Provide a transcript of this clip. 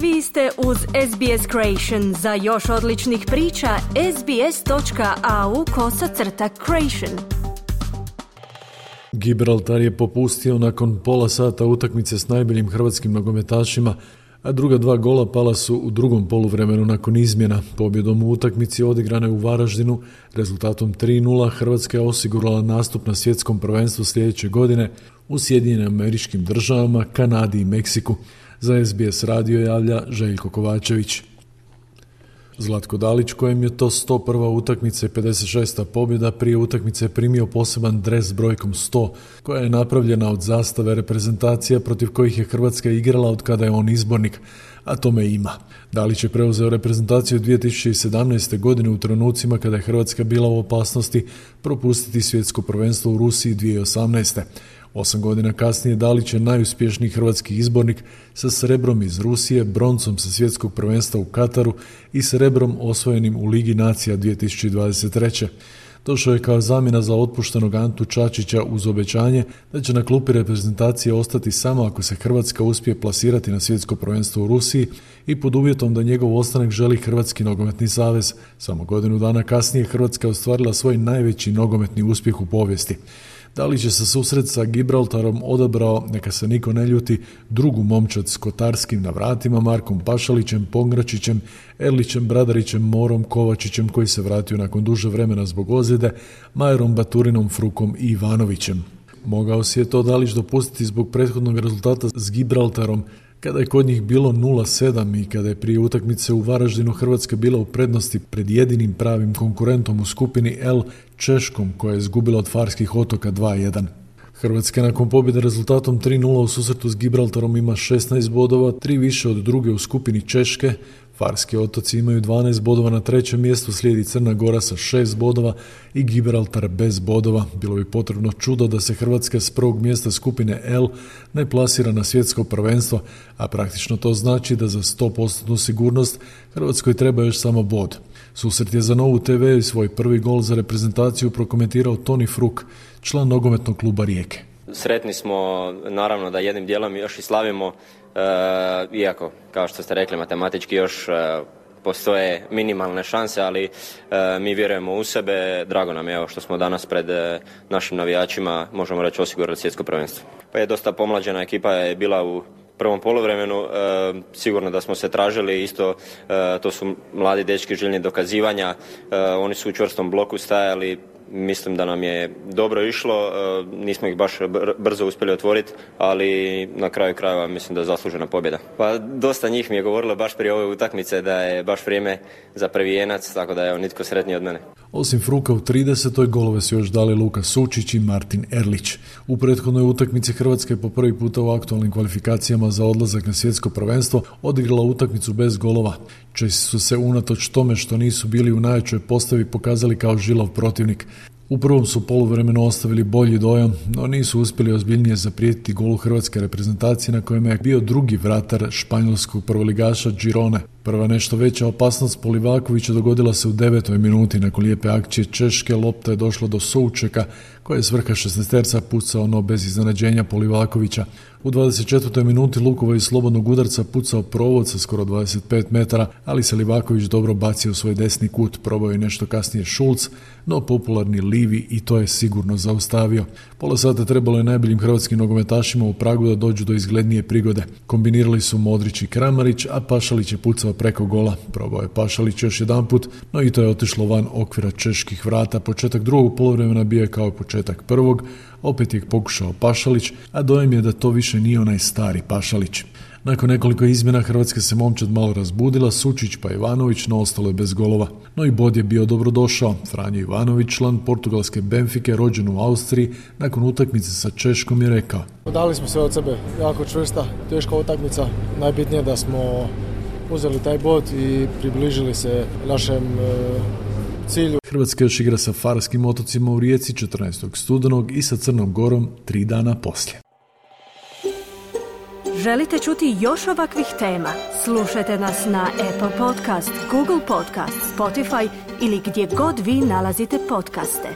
Vi ste uz SBS Creation. Za još odličnih priča, sbs.au/creation. Gibraltar je popustio nakon pola sata utakmice s najboljim hrvatskim nogometašima, a druga dva gola pala su u drugom poluvremenu nakon izmjena. Pobjedom u utakmici odigrane u Varaždinu, rezultatom 3:0, Hrvatska je osigurala nastup na svjetskom prvenstvu sljedeće godine u Sjedinjenim Američkim Državama, Kanadi i Meksiku. Za SBS radio javlja Željko Kovačević. Zlatko Dalić, kojem je to 101. utakmica i 56. pobjeda, prije utakmice primio poseban dres s brojkom 100, koja je napravljena od zastave reprezentacija protiv kojih je Hrvatska igrala od kada je on izbornik, a tome ima. Dalić je preuzeo reprezentaciju 2017. godine u trenucima kada je Hrvatska bila u opasnosti propustiti svjetsko prvenstvo u Rusiji 2018. 8 godina kasnije Dalić je najuspješniji hrvatski izbornik sa srebrom iz Rusije, broncom sa svjetskog prvenstva u Kataru i srebrom osvojenim u Ligi nacija 2023. Došao je kao zamjena za otpuštenog Antu Čačića uz obećanje da će na klupi reprezentacije ostati samo ako se Hrvatska uspije plasirati na svjetsko prvenstvo u Rusiji i pod uvjetom da njegov ostanak želi Hrvatski nogometni savez. Samo godinu dana kasnije Hrvatska je ostvarila svoj najveći nogometni uspjeh u povijesti. Dalić je sa susret sa Gibraltarom odabrao, neka se niko ne ljuti, drugu momčad s Kotarskim na vratima, Markom Pašalićem, Pongračićem, Erlićem, Bradarićem, Morom, Kovačićem koji se vratio nakon duže vremena zbog ozljede, Majerom Baturinom, Frukom i Ivanovićem. Mogao si je to Dalić dopustiti zbog prethodnog rezultata s Gibraltarom, kada je kod njih bilo 0-7 i kada je prije utakmice u Varaždinu Hrvatska bila u prednosti pred jedinim pravim konkurentom u skupini L, Češkom, koja je izgubila od Farskih otoka 2:1. Hrvatska nakon pobjede rezultatom 3:0 u susretu s Gibraltarom ima 16 bodova, 3 više od druge u skupini Češke. Farski otoci imaju 12 bodova, na trećem mjestu slijedi Crna Gora sa 6 bodova i Gibraltar bez bodova. Bilo bi potrebno čudo da se Hrvatska s prvog mjesta skupine L ne plasira na svjetsko prvenstvo, a praktično to znači da za 100% sigurnost Hrvatskoj treba još samo bod. Susret je za Novu TV i svoj prvi gol za reprezentaciju prokomentirao Toni Fruk, član nogometnog kluba Rijeke. Sretni smo, naravno da jednim dijelom još i slavimo, iako, kao što ste rekli, matematički još postoje minimalne šanse, ali mi vjerujemo u sebe. Drago nam je evo, što smo danas pred našim navijačima, možemo reći, osigurali svjetsko prvenstvo. Pa je dosta pomlađena ekipa je bila u prvom poluvremenu, sigurno da smo se tražili, isto to su mladi dečki željni dokazivanja, oni su u čvrstom bloku stajali. Mislim da nam je dobro išlo, nismo ih baš brzo uspjeli otvoriti, ali na kraju krajeva mislim da je zaslužena pobjeda. Pa dosta njih mi je govorilo baš prije ove utakmice da je baš vrijeme za prvijenac, tako da je nitko sretniji od mene. Osim Fruka u 30. golove su još dali Luka Sučić i Martin Erlić. U prethodnoj utakmici Hrvatska je po prvi puta u aktualnim kvalifikacijama za odlazak na svjetsko prvenstvo odigrala utakmicu bez golova. Česi su se unatoč tome što nisu bili u najjačoj postavi pokazali kao žilav protivnik. U prvom su poluvremenu ostavili bolji dojam, no nisu uspjeli ozbiljnije zaprijetiti golu hrvatske reprezentacije na kojem je bio drugi vratar španjolskog prvoligaša Girone. Prva nešto veća opasnost po Livakovića dogodila se u 9. minuti. Nakon lijepe akcije Češke lopta je došla do Součeka koja je s vrha 16-terca pucao, no bez iznenađenja po Livakovića. U 24. minuti Lukova iz slobodnog udarca pucao provod sa skoro 25 metara, ali se Livaković dobro bacio u svoj desni kut. Probao je nešto kasnije Šulc, no popularni Livi i to je sigurno zaustavio. Pola sata trebalo je najboljim hrvatskim nogometašima u Pragu da dođu do izglednije prigode. Kombinirali su Modrić i Kramarić, a Pašalić je pucao preko gola. Probao je Pašalić još jedanput, no i to je otišlo van okvira čeških vrata. Početak drugog poluvremena bio je kao početak prvog, opet je pokušao Pašalić, a dojem je da to više nije onaj stari Pašalić. Nakon nekoliko izmjena Hrvatska se momčad malo razbudila, Sučić pa Ivanović, no ostalo je bez golova. No i bod je bio dobrodošao. Franjo Ivanović, član portugalske Benfike, rođen u Austriji, nakon utakmice sa Češkom je rekao: Dali smo sve od sebe, jako čvrsta, teška utakmica. Najbitnije da smo uzeli taj bod i približili se našem cilju. Hrvatska još igra sa Farskim otocima u Rijeci 14. studenog i sa Crnom Gorom 3 dana poslije. Želite čuti još ovakvih tema? Slušajte nas na Apple Podcast, Google Podcast, Spotify ili gdje god vi nalazite podcaste.